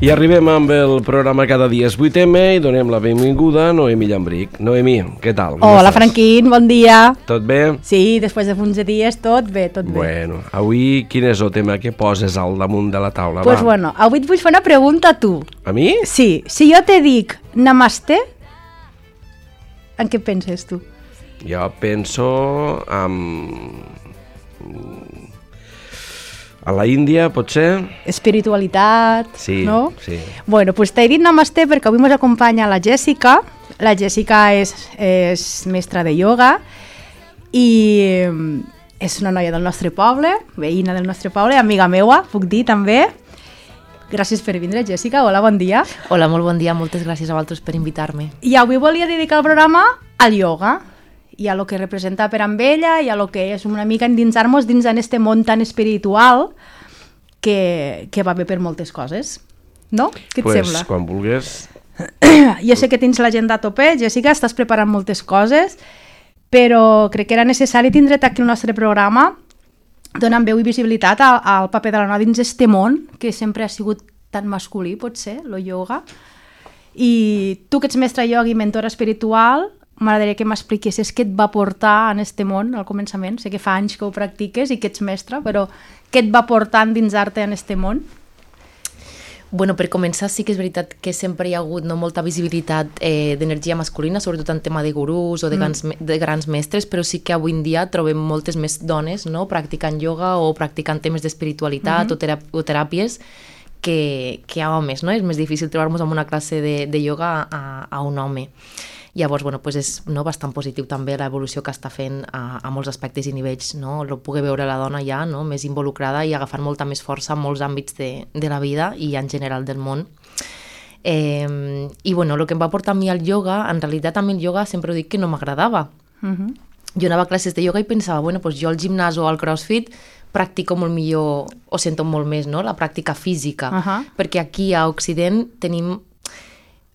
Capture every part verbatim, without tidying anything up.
I arribem amb el programa Cada dia és vuit eme i donem la benvinguda a Noemí Llambric. Noemí, què tal? Com Hola, estàs? Franquín, bon dia. Tot bé? Sí, després de uns dies, tot bé, tot bé. Bueno, avui quin és el tema que poses al damunt de la taula? Pues Va. bueno, avui et vull fer una pregunta a tu. A mi? Sí, si jo te dic namaste, en què penses tu? Jo penso en... a la Índia, potser? Espiritualitat, Sí, no? sí. Bueno, pues t'he dit namaste perquè avui ens acompanya la Jèssica. La Jèssica és, és mestra de ioga i és una noia del nostre poble, veïna del nostre poble, amiga meua, puc dir també. Gràcies per vindre, Jèssica. Hola, bon dia. Hola, molt bon dia. Moltes gràcies a vosaltres per invitar-me. I avui volia dedicar el programa al ioga i a lo que representa per amb ella i a lo que és una mica endinsar-nos dins en este món tan espiritual que, que va bé per moltes coses. No? Què et pues, sembla? quan vulguis. Jo sé que tens l'agenda a tope, Jèssica, estàs preparant moltes coses, però crec que era necessari tindre't aquí al nostre programa donant veu i visibilitat al, al paper de la noia dins este món, que sempre ha sigut tan masculí, potser, lo ioga. I tu que ets mestra ioga i mentora espiritual, m'agradaria que m'expliquessis què et va portar en este món al començament. Sé que fa anys que ho practiques i que ets mestra, però què et va portar a endinsar-te en este món? Bueno, per començar, sí que és veritat que sempre hi ha hagut no, molta visibilitat eh, d'energia masculina, sobretot en tema de gurús o de, mm. grans, de grans mestres, però sí que avui en dia trobem moltes més dones no, practicant ioga o practicant temes d'espiritualitat mm-hmm. o, terap o teràpies que, que a homes. No? És més difícil trobar-nos en una classe de, de ioga a, a un home. Llavors, bueno, pues és no, bastant positiu també l'evolució que està fent a, a molts aspectes i nivells, no? El poder veure la dona ja no, més involucrada i agafant molta més força en molts àmbits de, de la vida i en general del món. Eh, I bueno, el que em va portar a mi al ioga, en realitat a mi el ioga sempre ho dic que no m'agradava. Uh-huh. Jo anava a classes de ioga i pensava, bueno, pues jo al gimnàs o al crossfit practico molt millor, o sento molt més, no? La pràctica física, uh-huh. perquè aquí a Occident tenim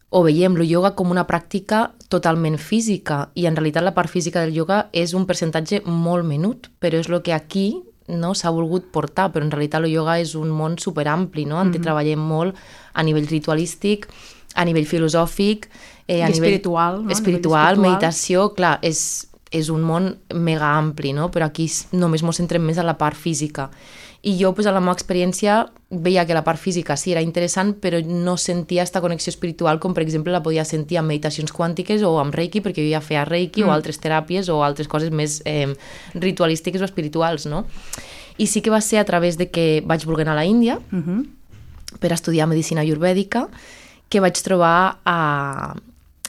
o veiem el ioga com una pràctica totalment física i en realitat la part física del ioga és un percentatge molt menut, però és el que aquí no, s'ha volgut portar, però en realitat el ioga és un món superampli, no? En què mm-hmm. treballem molt a nivell ritualístic, a nivell filosòfic, eh, a I nivell espiritual, no? espiritual, meditació, clar, és, és un món mega ampli, no? Però aquí només ens centrem més en la part física. I jo, pues, a la meva experiència, veia que la part física sí era interessant, però no sentia aquesta connexió espiritual com, per exemple, la podia sentir amb meditacions quàntiques o amb Reiki, perquè jo ja feia Reiki mm. o altres teràpies o altres coses més eh, ritualístiques o espirituals, no? I sí que va ser a través de que vaig voler anar a la Índia mm-hmm. per estudiar medicina ayurvèdica que vaig trobar a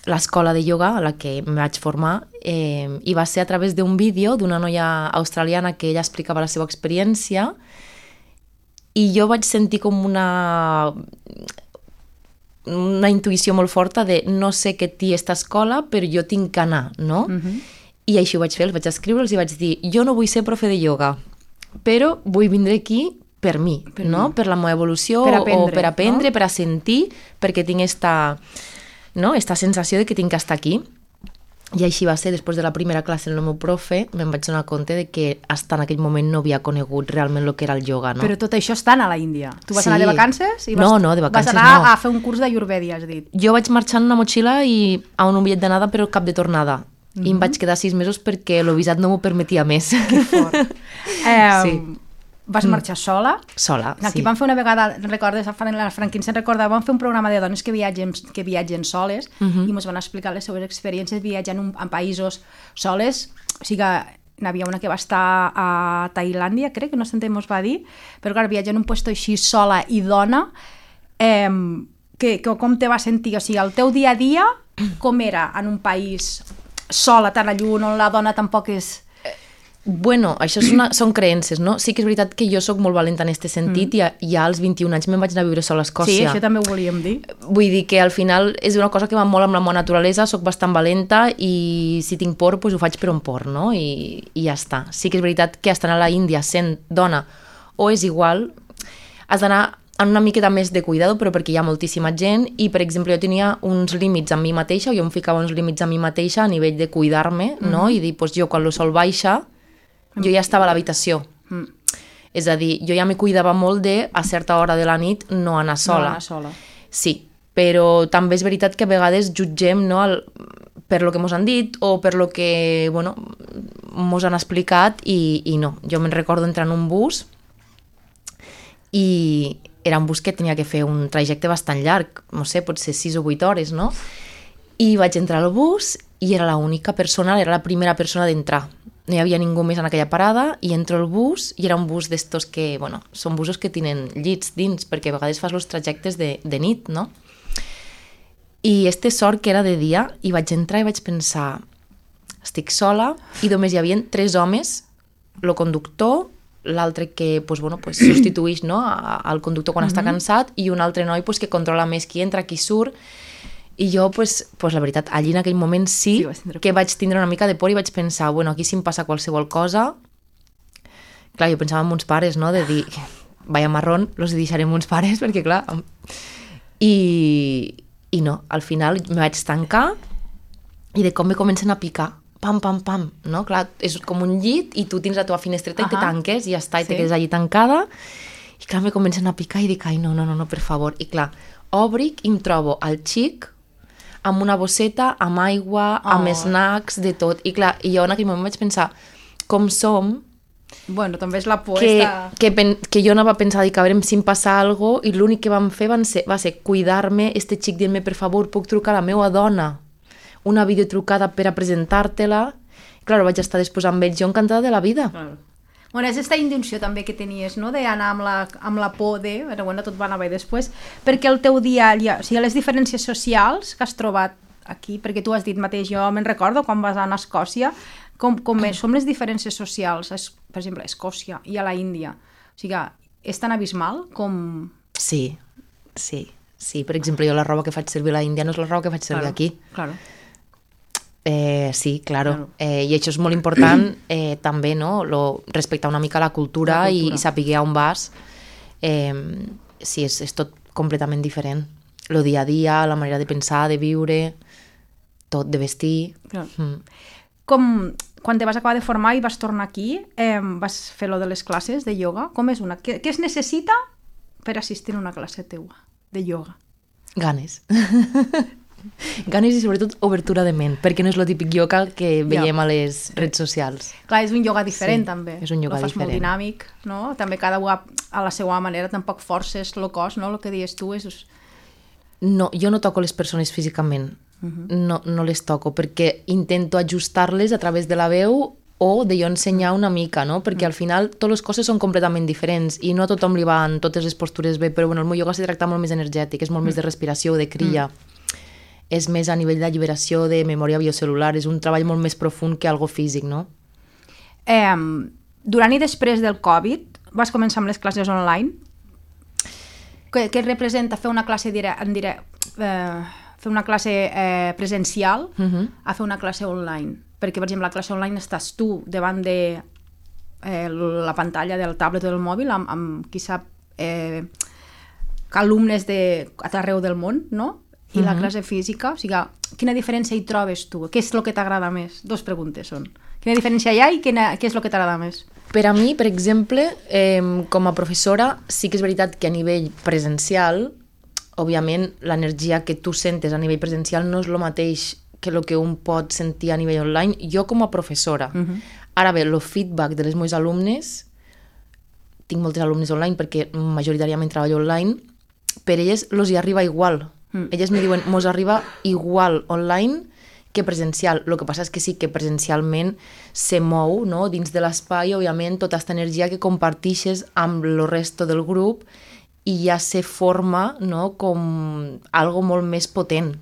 l'escola de ioga a la que em vaig formar eh, i va ser a través d'un vídeo d'una noia australiana que ella explicava la seva experiència i jo vaig sentir com una una intuïció molt forta de no sé què té aquesta escola, però jo tinc que anar, no? Uh-huh. I així ho vaig fer, els vaig escriure'ls i vaig dir jo no vull ser profe de ioga, però vull vindre aquí per mi, per, no? mi. Per la meva evolució per aprendre, o per aprendre, no? Per a sentir, perquè tinc esta, no? esta sensació de que tinc que estar aquí. I així va ser, després de la primera classe del meu profe, me'n vaig donar compte de que fins en aquell moment no havia conegut realment el que era el ioga, no? Però tot això estant a la Índia. Tu vas sí. anar de vacances? I vas, no, no, de vacances vas anar no. a fer un curs d'ayurvèdia, has dit. Jo vaig marxar en una motxilla i a un bitllet d'anada però cap de tornada. Mm-hmm. I em vaig quedar sis mesos perquè el visat no m'ho permetia més. Que fort. eh, sí. Vas marxar sola? Sola, Aquí sí. vam fer una vegada, recordes, la Franquín se'n recorda, vam fer un programa de dones que viatgen, que viatgen soles uh-huh. i ens van explicar les seves experiències viatjant en, en països soles. O sigui que n'hi havia una que va estar a Tailàndia, crec, que no sé ens va dir, però clar, viatjar en un lloc així sola i dona, eh, que, que, com te va sentir? O sigui, el teu dia a dia, com era en un país sola, tan a lluny, on la dona tampoc és... Bueno, això és una, són creences, no? Sí que és veritat que jo sóc molt valenta en aquest sentit mm. i ja als vint-i-un anys me'n vaig anar a viure sola a Escòcia. Sí, això també ho volíem dir. Vull dir que al final és una cosa que va molt amb la meva naturalesa, sóc bastant valenta i si tinc por, doncs ho faig per on por, no? I, i ja està. Sí que és veritat que estar a la Índia sent dona o és igual, has d'anar en una miqueta més de cuidado, però perquè hi ha moltíssima gent i, per exemple, jo tenia uns límits amb mi mateixa, jo em ficava uns límits amb mi mateixa a nivell de cuidar-me, mm. no? I dir, doncs jo quan el sol baixa jo ja estava a l'habitació. Mm. És a dir, jo ja me cuidava molt de, a certa hora de la nit, no anar sola. No anar sola. Sí, però també és veritat que a vegades jutgem, no, el, per lo que mos han dit o per lo que, bueno, mos han explicat i, i no. Jo me'n recordo entrar en un bus i era un bus que tenia que fer un trajecte bastant llarg, no sé, potser sis o vuit hores, no? I vaig entrar al bus i era l'única persona, era la primera persona d'entrar. No hi havia ningú més en aquella parada i entro al bus i era un bus d'estos que, bueno, són busos que tenen llits dins perquè a vegades fas els trajectes de, de nit, no? I este sort que era de dia i vaig entrar i vaig pensar estic sola i només hi havia tres homes, el conductor, l'altre que pues, bueno, pues, substituïx, no, al conductor quan uh-huh. està cansat i un altre noi pues, que controla més qui entra, qui surt. I jo, pues, pues, la veritat, allí en aquell moment sí, sí que vaig tindre una mica de por i vaig pensar, bueno, aquí si em passa qualsevol cosa... Clar, jo pensava en uns pares, no?, de dir, vaya marrón, los deixarem uns pares, perquè clar... I, i no, al final me vaig tancar i de com me comencen a picar, pam, pam, pam, no? Clar, és com un llit i tu tens la teva finestreta uh-huh. i te tanques i ja està, i sí. te quedes allí tancada i clar, me comencen a picar i dic, ai, no, no, no, no, per favor. I clar, obric i em trobo al xic amb una bosseta, amb aigua, oh. amb snacks, de tot. I clar, i jo en aquell moment vaig pensar, com som... Bueno, també és la por que, esta... que, pen, que jo anava a pensar, dic, a veure si em passa alguna cosa, i l'únic que vam fer van ser, va ser cuidar-me, este xic dient-me, per favor, puc trucar a la meva dona, una videotrucada per a presentar-te-la. Clar, vaig estar després amb ells, jo encantada de la vida. Claro. Bueno, és aquesta intenció també que tenies, no?, d'anar amb la, amb la por de... Però bueno, tot va anar bé després. Perquè el teu dia, o sigui, les diferències socials que has trobat aquí, perquè tu has dit mateix, jo me'n recordo quan vas anar a Escòcia, com, com és, som les diferències socials, es, per exemple, a Escòcia i a la Índia. O sigui, és tan abismal com... Sí, sí, sí. Per exemple, jo la roba que faig servir a la Índia no és la roba que faig servir claro, aquí. Claro. Eh, sí, claro. claro. Eh, I això és molt important eh, també, no? Lo, respectar una mica la cultura, la cultura. I, i saber on vas. Eh, sí, és, és tot completament diferent. Lo dia a dia, la manera de pensar, de viure, tot, de vestir. Claro. Mm. Com, quan te vas acabar de formar i vas tornar aquí, eh, vas fer lo de les classes de ioga. Com és una? Què, què es necessita per assistir a una classe teua de ioga? Ganes. Ganes i sobretot obertura de ment, perquè no és el típic ioga que veiem ja. a les redes socials. Clar, és un ioga diferent sí, també. És un ioga lo fas diferent. Molt dinàmic, no? També cada una a la seva manera, tampoc forces el cos, no? El que dius tu és... No, jo no toco les persones físicament, uh-huh. no, no les toco, perquè intento ajustar-les a través de la veu o de jo ensenyar una mica, no? Perquè uh-huh. al final totes les coses són completament diferents i no a tothom li van totes les postures bé, però bueno, el meu ioga se tracta molt més energètic, és molt uh-huh. més de respiració, de crilla. Uh-huh. És més a nivell d'alliberació de memòria biocel·lular, és un treball molt més profund que algo físic, no? Eh, durant i després del Covid vas començar amb les classes online. Què, què representa fer una classe dire, en dire, eh, fer una classe eh, presencial uh-huh. a fer una classe online? Perquè, per exemple, la classe online estàs tu davant de eh, la pantalla del tablet o del mòbil amb, amb qui sap, eh, alumnes de, a arreu del món, no? I uh-huh. la classe física, o sigui, quina diferència hi trobes tu? Què és el que t'agrada més? Dos preguntes són. Quina diferència hi ha i quina, què és el que t'agrada més? Per a mi, per exemple, eh, com a professora, sí que és veritat que a nivell presencial, òbviament, l'energia que tu sentes a nivell presencial no és el mateix que el que un pot sentir a nivell online. Jo com a professora. Uh-huh. Ara bé, el feedback de les meus alumnes, tinc moltes alumnes online perquè majoritàriament treballo online, per elles els hi arriba igual. Mm. Elles me diuen, mos arriba igual online que presencial. El que passa és que sí que presencialment se mou, no? Dins de l'espai, òbviament, tota aquesta energia que compartixes amb el resto del grup i ja se forma, no? Com algo molt més potent.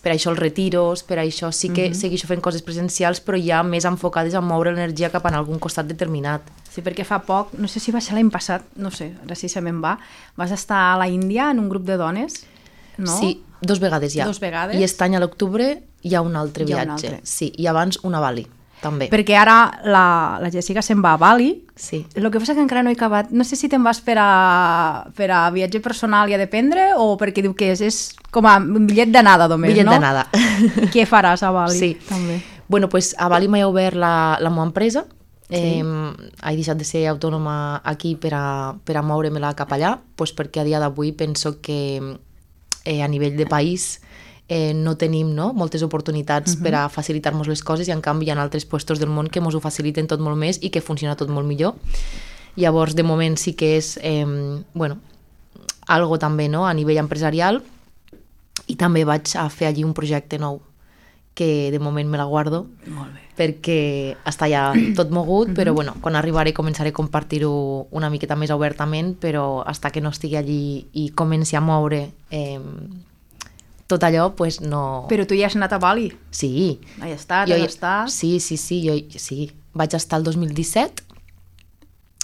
Per això els retiros, per això sí que mm-hmm. segueixo fent coses presencials, però ja més enfocades a moure l'energia cap en algun costat determinat. Sí, perquè fa poc, no sé si va ser l'any passat, no sé, ara sí se me'n va, vas estar a la Índia en un grup de dones. No? Sí, dos vegades ja. Dos vegades. I aquest any a l'octubre hi ha un altre hi viatge. Un altre. Sí, i abans una a Bali, també. Perquè ara la, la Jessica se'n va a Bali. Sí. El que passa que encara no he acabat. No sé si te'n vas per a, per a viatge personal i a dependre o perquè diu que és, és com a un bitllet d'anada només, bitllet no? Bitllet d'anada. Què faràs a Bali? Sí. També. Bueno, pues a Bali m'he obert la, la meva empresa. Sí. Eh, he deixat de ser autònoma aquí per a, per a moure-me-la cap allà, pues perquè a dia d'avui penso que eh, a nivell de país eh, no tenim no, moltes oportunitats uh-huh. per a facilitar-nos les coses i en canvi hi ha altres puestos del món que ens ho faciliten tot molt més i que funciona tot molt millor. Llavors, de moment sí que és eh, bueno, algo també no, a nivell empresarial i també vaig a fer allí un projecte nou que de moment me la guardo molt bé. Perquè està ja tot mogut, però bueno, quan arribaré començaré a compartir-ho una miqueta més obertament, però fins que no estigui allí i comenci a moure eh, tot allò, pues no... Però tu ja has anat a Bali? Sí. Hi has estat, jo, has estat... Sí, sí, sí, jo sí. Vaig estar el dos mil disset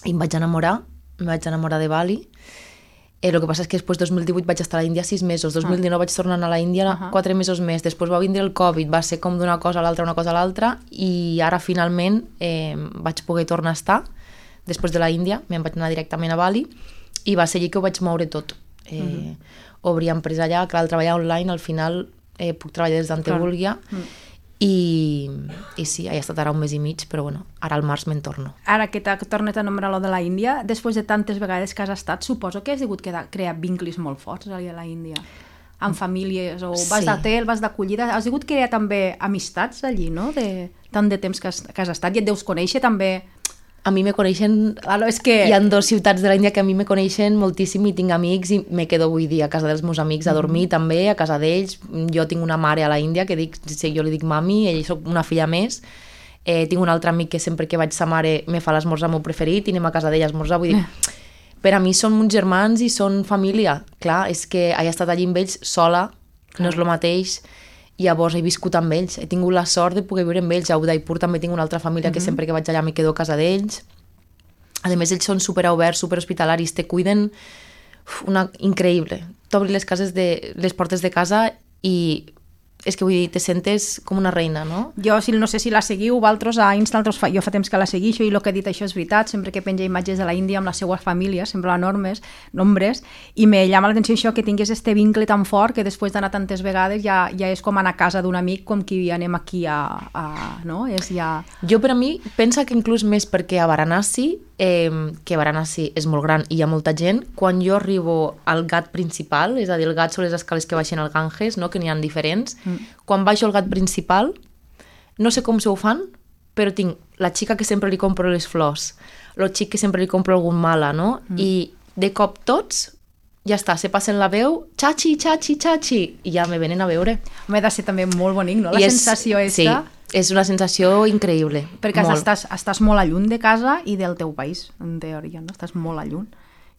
i em vaig enamorar, em vaig enamorar de Bali. Eh, el que passa és que després, dos mil divuit, vaig estar a l'Índia sis mesos, dos mil dinou vaig tornar a la Índia uh-huh. quatre mesos més, després va vindre el Covid, va ser com d'una cosa a l'altra, una cosa a l'altra, i ara finalment eh, vaig poder tornar a estar, després de la Índia, me'n vaig anar directament a Bali, i va ser allí que ho vaig moure tot. Eh, uh-huh. Obrir empresa allà, clar, al treballar online, al final eh, puc treballar des d'on te vulgui, uh-huh. I, i sí, he estat ara un mes i mig, però bueno, ara al març me'n torno. Ara que t'ha tornat a nombrar lo de la Índia, després de tantes vegades que has estat, suposo que has hagut que crear vincles molt forts allà a la Índia, amb famílies, o vas sí. d'hotel, vas d'acollida, has hagut que crear també amistats allí, no?, de tant de temps que has, que has estat, i et deus conèixer també... A mi me coneixen... Claro, és que... Hi ha dos ciutats de l'Índia que a mi me coneixen moltíssim i tinc amics i me quedo avui dia a casa dels meus amics a dormir mm-hmm. també, a casa d'ells. Jo tinc una mare a la Índia que dic, sí, jo li dic mami, ell soc una filla més. Eh, tinc un altre amic que sempre que vaig sa mare me fa l'esmorzar meu preferit i anem a casa d'ella a esmorzar. Vull dir, per a mi són uns germans i són família. Clar, és que he estat allí amb ells sola, no és el mateix. Llavors he viscut amb ells, he tingut la sort de poder viure amb ells. A Udaipur també tinc una altra família que mm-hmm. sempre que vaig allà me quedo a casa d'ells. A més, ells són superoberts, superhospitalaris, te cuiden una... increïble. T'obri les cases de... les portes de casa i és que vull dir, te sentes com una reina, no? Jo si, no sé si la seguiu, vosaltres a Insta, fa, jo fa temps que la seguixo i el que he dit això és veritat, sempre que penja imatges de la Índia amb la seva família, sembla enormes, nombres, i me llama l'atenció això que tingués este vincle tan fort que després d'anar tantes vegades ja, ja és com anar a casa d'un amic, com que anem aquí a... a no? És ja... Jo per a mi, pensa que inclús més perquè a Varanasi, eh, que Varanasi és molt gran i hi ha molta gent, quan jo arribo al Ghat principal, és a dir, el Ghat són les escales que baixen al Ganges, no? Que n'hi ha diferents, mm. Quan baixo al Ghat principal, no sé com se ho fan, però tinc la xica que sempre li compro les flors, el xic que sempre li compro algun mala, no? Mm. I de cop tots, ja està, se passen la veu, xachi, xachi, xachi, i ja me venen a veure. M'ha de ser també molt bonic, no? La I sensació és, esta... Sí, és una sensació increïble. Perquè molt. Estàs, estàs molt a lluny de casa i del teu país, en teoria, no? Estàs molt a lluny.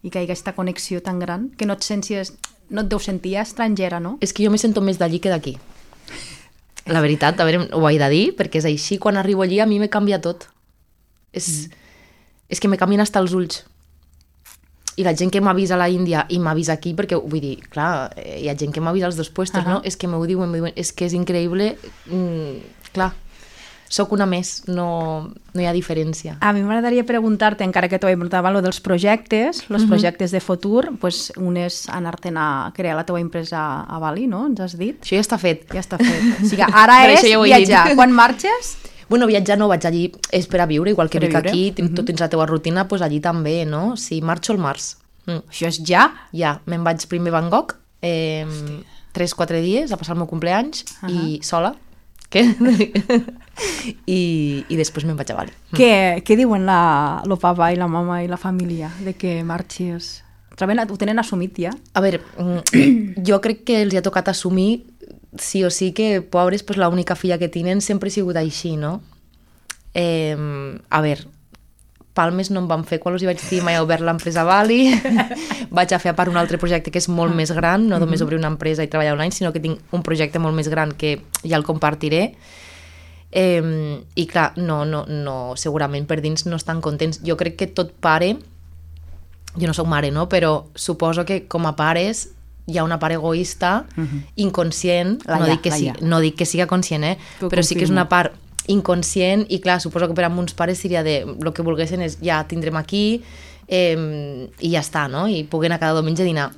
I que hi ha aquesta connexió tan gran que no et senties, no et deus sentir estrangera, no? És que jo me sento més d'allí que d'aquí. La veritat, a veure, ho he de dir, perquè és així, quan arribo allí a mi me canvia tot. És, mm. és que me canvien hasta els ulls. I la gent que m'ha vist a la Índia i m'ha vist aquí, perquè vull dir, clar, hi ha gent que m'ha vist als dos puestos, uh-huh. no? És que m'ho diuen, diuen, és que és increïble, mm, clar, sóc una més, no, no hi ha diferència. A mi m'agradaria preguntar-te, encara que t'ho he preguntat, lo dels projectes, els uh-huh. projectes de futur, pues, un és anar-te'n a crear la teva empresa a Bali, no? Ens has dit? Això ja està fet. Ja està fet. O sigui, ara és ja viatjar. Quan marxes? Bueno, viatjar no, vaig allí, és per a viure, igual que per vic aquí, uh-huh. tu tens la teva rutina, doncs allí també, no? Si marxo al març. Mm. Això és ja? Ja, me'n vaig primer a Bangkok, eh, tres o quatre dies, a passar el meu compleanys, uh-huh. i sola, què? I, i després me'n vaig a Bali. Què, què diuen la, el papa i la mama i la família de que marxis? Ho tenen assumit ja? A veure, jo crec que els ha tocat assumir sí o sí que, pobres, pues, l'única filla que tenen sempre ha sigut així, no? Eh, a veure, palmes no em van fer quan els hi vaig dir mai he obert l'empresa a Bali, vaig a fer a part un altre projecte que és molt més gran, no només obrir una empresa i treballar online, sinó que tinc un projecte molt més gran que ja el compartiré. Eh, I clar, no, no, no, segurament per dins no estan contents. Jo crec que tot pare, jo no soc mare, no? Però suposo que com a pares hi ha una part egoista, uh-huh. inconscient, la no, ja, dic que la sí, ja. no dic que siga conscient, eh? Però però confirmo. Sí que és una part inconscient i clar, suposo que per a uns pares seria de el que volguessin és ja tindrem aquí eh, i ja està, no? I puguin anar cada diumenge a dinar.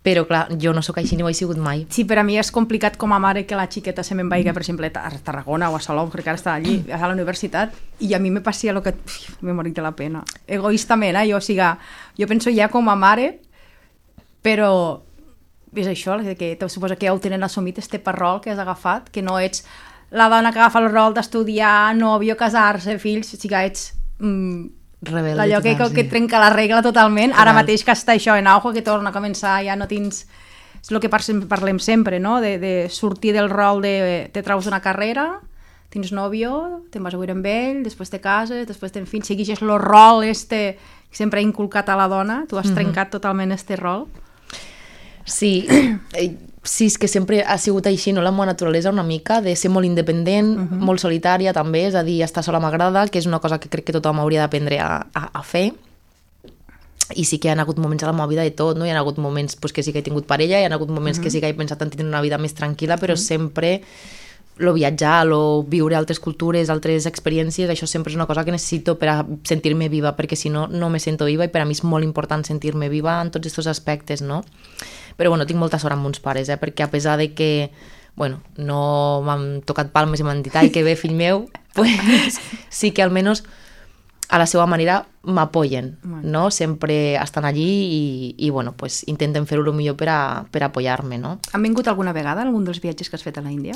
Però clar, jo no sóc així ni ho he sigut mai. Sí, per a mi és complicat com a mare que la xiqueta se me'n vagi, per exemple, a Tarragona o a Salou, perquè ara està allí, a la universitat, i a mi me passia el que... Uf, me morit de la pena. Egoistament, eh? Jo, o sigui, jo penso ja com a mare, però és això, que suposo que ja ho tenen assumit, este per rol que has agafat, que no ets la dona que agafa el rol d'estudiar, nòvio, casar-se, fills, sí que ets mm, rebelde allò que, total, que sí. trenca la regla totalment, Total. ara mateix que està això en auge, que torna a començar, ja no tens... És el que parlem sempre, no? De, de sortir del rol de te traus una carrera, tens nòvio, te'n vas a viure amb ell, després te cases, després tens fills, segueixes el rol este que sempre ha inculcat a la dona, tu has Mhm. trencat totalment este rol. Sí, eh, sí, és que sempre ha sigut així, no? La meva naturalesa una mica, de ser molt independent, uh -huh. molt solitària també, és a dir, estar sola m'agrada, que és una cosa que crec que tothom hauria d'aprendre a, a, a fer. I sí que hi ha hagut moments a la meva vida de tot, no? Hi ha hagut moments pues, que sí que he tingut parella, hi ha hagut moments uh -huh. que sí que he pensat en tenir una vida més tranquil·la, però uh -huh. sempre lo viatjar, lo viure altres cultures, altres experiències, això sempre és una cosa que necessito per a sentir-me viva, perquè si no, no me sento viva, i per a mi és molt important sentir-me viva en tots aquests aspectes, no? Però bueno, tinc molta sort amb uns pares, eh? Perquè a pesar de que bueno, no m'han tocat palmes i m'han dit ai, que bé, fill meu, pues, sí que almenys a la seva manera m'apoyen, no? Sempre estan allí i, i bueno, pues, intenten fer-ho el millor per a, per a apoyar-me, no? Han vingut alguna vegada algun dels viatges que has fet a la Índia?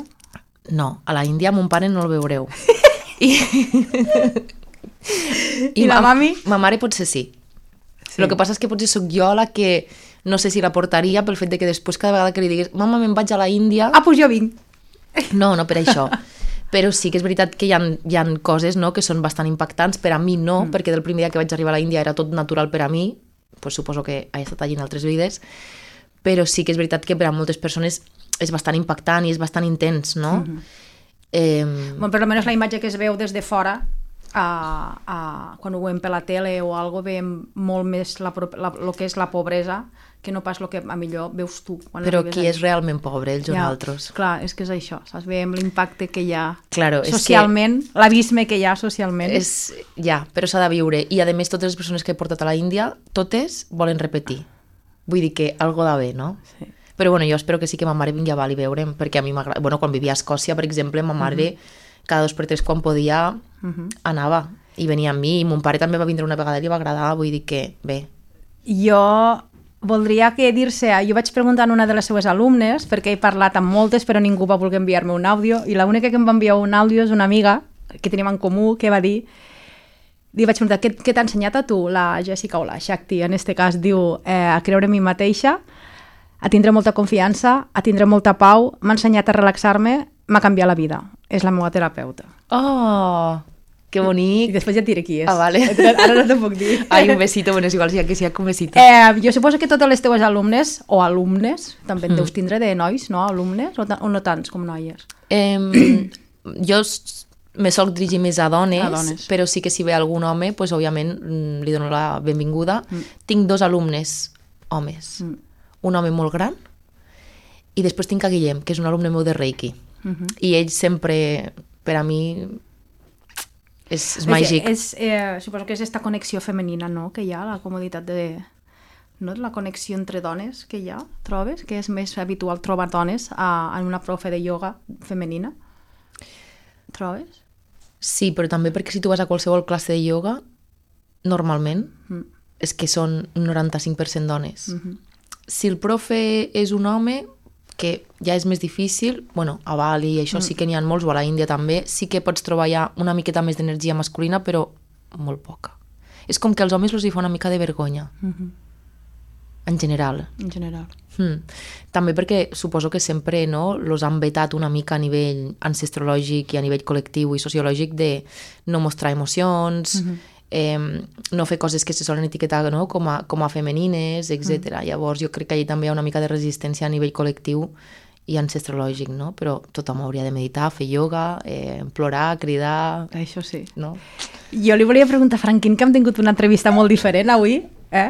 No, a la Índia mon pare no el veureu. I, I la mami? Ma mare potser sí. sí. El que passa és que potser sóc jo la que no sé si la portaria pel fet de que després cada vegada que li digués mama, me'n vaig a la Índia... Ah, doncs jo vinc. No, no per això. Però sí que és veritat que hi ha, hi ha coses, no, que són bastant impactants, per a mi no, mm. perquè del primer dia que vaig arribar a la Índia era tot natural per a mi, pues suposo que he estat allí en altres vides, però sí que és veritat que per a moltes persones és bastant impactant i és bastant intens, no? Mm-hmm. eh... Bueno, per almenys la imatge que es veu des de fora, a, a, quan ho veiem per la tele o algo, veiem molt més la, la, lo que és la pobresa que no pas el que a millor veus tu. Quan Però qui allà. És realment pobre, ells o ja, nosaltres? Clar, és que és això, saps? Veiem l'impacte que hi ha claro, socialment, que... l'abisme que hi ha socialment. És, ja, però s'ha de viure. I a més, totes les persones que he portat a la Índia, totes volen repetir. Vull dir que algo de bé, no? Sí. Però bueno, jo espero que sí que ma mare vingui a Bali a veure'm, perquè a mi m'agrada... Bueno, quan vivia a Escòcia, per exemple, ma mare uh -huh. cada dos per tres quan podia uh -huh. anava i venia amb mi, i mon pare també va vindre una vegada i li va agradar, vull dir que bé. Jo voldria que dir-se... Jo vaig preguntar a una de les seues alumnes, perquè he parlat amb moltes, però ningú va voler enviar-me un àudio, i l'única que em va enviar un àudio és una amiga que tenim en comú, que va dir... Li vaig preguntar, què, què t'ha ensenyat a tu, la Jessica o la Shakti, en este cas, diu, eh, a creure en mi mateixa, a tindre molta confiança, a tindre molta pau, m'ha ensenyat a relaxar-me, m'ha canviat la vida. És la meva terapeuta. Oh, que bonic. I després ja et diré qui és. Ah, vale. Ara no t'ho puc dir. Ai, un besito, bueno, és igual, si hi ha que sigui un besito. Eh, jo suposo que totes les teves alumnes, o alumnes, també en Mm. deus tindre de nois, no? Alumnes, o, o no tants com noies? Eh, jo me soc dirigir més a dones, A dones. però sí que si ve algun home, pues, òbviament mm, li dono la benvinguda. Mm. Tinc dos alumnes homes, mm. un home molt gran, i després tinc a Guillem, que és un alumne meu de Reiki. Mm-hmm. I ell sempre, per a mi, és, és màgic. És, eh, suposo que és aquesta connexió femenina, no?, que hi ha, la comoditat de... No? La connexió entre dones que hi ha, trobes? Que és més habitual trobar dones a, en una profe de ioga femenina. Trobes? Sí, però també perquè si tu vas a qualsevol classe de ioga, normalment, mm. és que són un noranta-cinc per cent dones. Mm-hmm. Si el profe és un home, que ja és més difícil, bueno, a Bali, això mm. sí que n'hi ha molts, o a la Índia també, sí que pots trobar ja una miqueta més d'energia masculina, però molt poca. És com que als homes els hi fa una mica de vergonya. Mm-hmm. En general. En general. Mm. També perquè suposo que sempre no, los han vetat una mica a nivell ancestrològic i a nivell col·lectiu i sociològic de no mostrar emocions, mm-hmm. eh, no fer coses que se solen etiquetar, no? com, a, com a femenines, etcètera. Mm. Llavors jo crec que allà també hi ha una mica de resistència a nivell col·lectiu i ancestrològic, no? Però tothom hauria de meditar, fer ioga, eh, plorar, cridar... Això sí. No? Jo li volia preguntar a Franquín, que hem tingut una entrevista molt diferent avui, eh?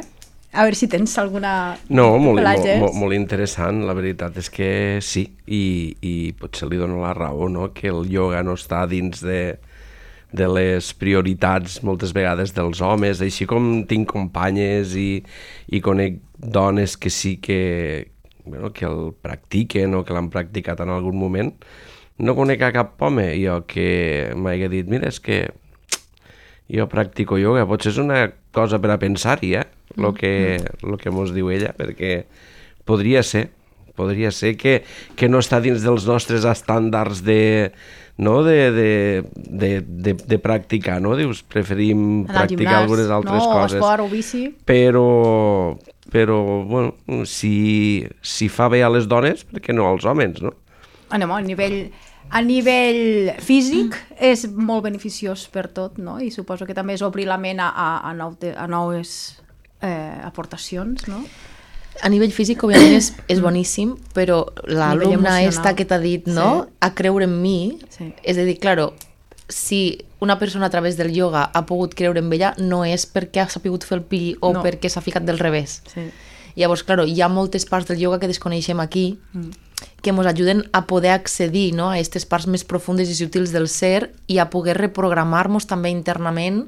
A veure si tens alguna... No, molt, molt, molt, molt interessant, la veritat és que sí, i, i potser li dono la raó, no? Que el ioga no està dins de, de les prioritats moltes vegades dels homes, així com tinc companyes i, i conec dones que sí que, bueno, que el practiquen o que l'han practicat en algun moment. No conec a cap home jo que m'hagi dit, mira, és que jo practico ioga, potser és una cosa per a pensar-hi, eh? Lo que, lo que mos diu ella, perquè podria ser, podria ser que, que no està dins dels nostres estàndards de, no? de, de, de, de, de practicar, no? Dius, preferim practicar algunes altres no, coses. No, esport o bici. Però, però bueno, si, si fa bé a les dones, per què no als homes, no? Anem, a nivell... A nivell físic és molt beneficiós per tot, no? I suposo que també és obrir la ment a, a, nou, a noves eh, aportacions, no? A nivell físic, òbviament, és, és boníssim, però l'alumna esta que t'ha dit, no? Sí. A creure en mi, sí. És a dir, claro, si una persona a través del ioga ha pogut creure en ella, no és perquè ha sapigut fer el pi o no. perquè s'ha ficat del revés. Sí. Llavors, claro, hi ha moltes parts del ioga que desconeixem aquí, mm. que ens ajuden a poder accedir, no? a aquestes parts més profundes i sutils del ser i a poder reprogramar-nos també internament,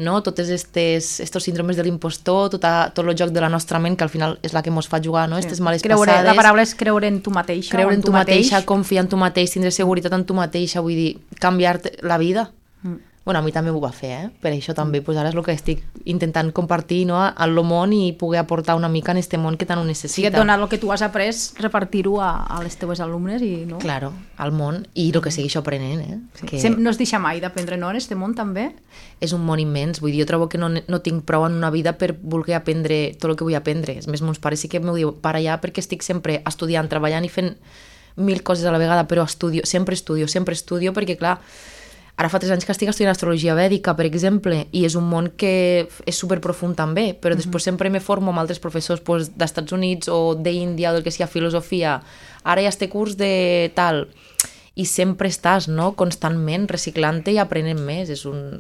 no? Totes estes, estos síndromes de l'impostor, tot, a, tot el joc de la nostra ment, que al final és la que ens fa jugar, no? Sí. Estes males creure, passades. La paraula és creure en tu mateixa. Creure en, en tu, tu mateixa, mateix. Confiar en tu mateix, tindre seguretat en tu mateixa, vull dir, canviar-te la vida. Mm. Bueno, a mi també m'ho va fer, eh? Per això també, pues ara és el que estic intentant compartir, no? al món i poder aportar una mica en este món que tant ho necessita. Sí, et donar el que tu has après, repartir-ho a, a les teves alumnes i no? Claro, al món i el que segueixo aprenent, eh? Sí. Que... No es deixa mai d'aprendre, no? En este món també? És un món immens, vull dir, jo trobo que no, no tinc prou en una vida per voler aprendre tot el que vull aprendre. És més, mons pares sí que m'ho diu, para allà, perquè estic sempre estudiant, treballant i fent mil coses a la vegada, però estudio, sempre estudio, sempre estudio, perquè clar, ara fa tres anys que estic estudiant astrologia vèdica, per exemple, i és un món que és superprofund també, però mm-hmm. després sempre me formo amb altres professors pues, d'Estats Units o d'Índia o del que sigui filosofia. Ara hi ha este curs de tal... I sempre estàs, no?, constantment reciclant-te i aprenent més. És un...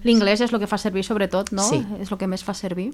L'inglès és el que fa servir sobretot, no? Sí. És el que més fa servir.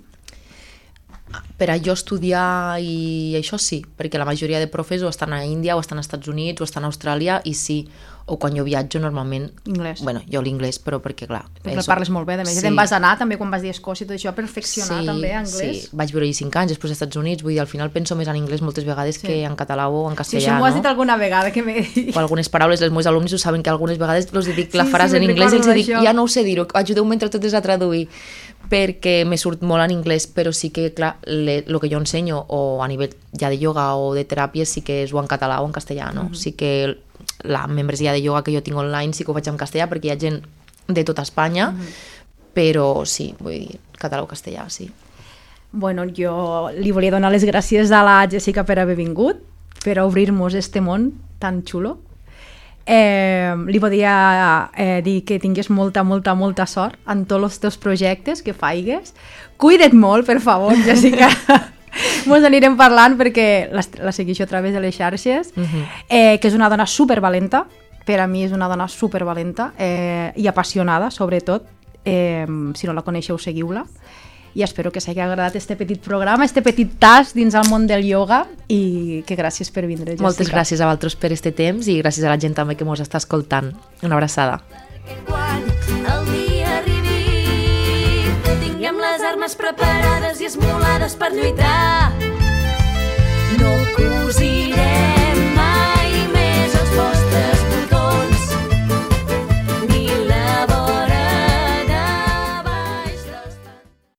Per a jo estudiar i això sí, perquè la majoria de profes o estan a Índia o estan als Estats Units o estan a Austràlia i sí, o quan jo viatjo normalment... Inglès. Bueno, jo l'inglès, però perquè clar... Perquè el parles molt bé, de més. Sí. Te'n vas anar també quan vas dir a Escòcia i tot això, a perfeccionar sí, també anglès. Sí, vaig viure-hi cinc anys, després als Estats Units, vull dir, al final penso més en anglès moltes vegades sí. que en català o en castellà, sí, això m'ho has no? dit alguna vegada que m'he dit. O algunes paraules, els meus alumnes ho saben que algunes vegades els dic la sí, frase sí, en anglès i els dic, això. ja no ho sé dir-ho, ajudeu-me entre totes a traduir, perquè me surt molt en anglès, però sí que, clar, el que jo ensenyo, o a nivell ja de ioga o de teràpia, sí que és o en català o en castellà, no? Mm-hmm. Sí que la membresia de ioga que jo tinc online sí que ho faig en castellà, perquè hi ha gent de tota Espanya, mm-hmm. però sí, vull dir, català o castellà, sí. Bueno, jo li volia donar les gràcies a la Jessica per haver vingut, per obrir-nos este món tan xulo. Eh, li volia eh, dir que tingués molta, molta, molta sort en tots els teus projectes que faigues. Cuida't molt, per favor, Jessica. Mos anirem parlant perquè la, la segueixo a través de les xarxes, uh-huh. eh, que és una dona supervalenta, per a mi és una dona supervalenta eh, i apassionada, sobretot. Eh, si no la coneixeu, seguiu-la. I espero que s'hagi agradat este petit programa, este petit tas dins el món del ioga i que gràcies per vindre, Jessica. Moltes gràcies a vosaltres per este temps i gràcies a la gent també que mos està escoltant. Una abraçada. Quan el dia arribi, tinguem les armes preparades i esmolades per lluitar. No cosirem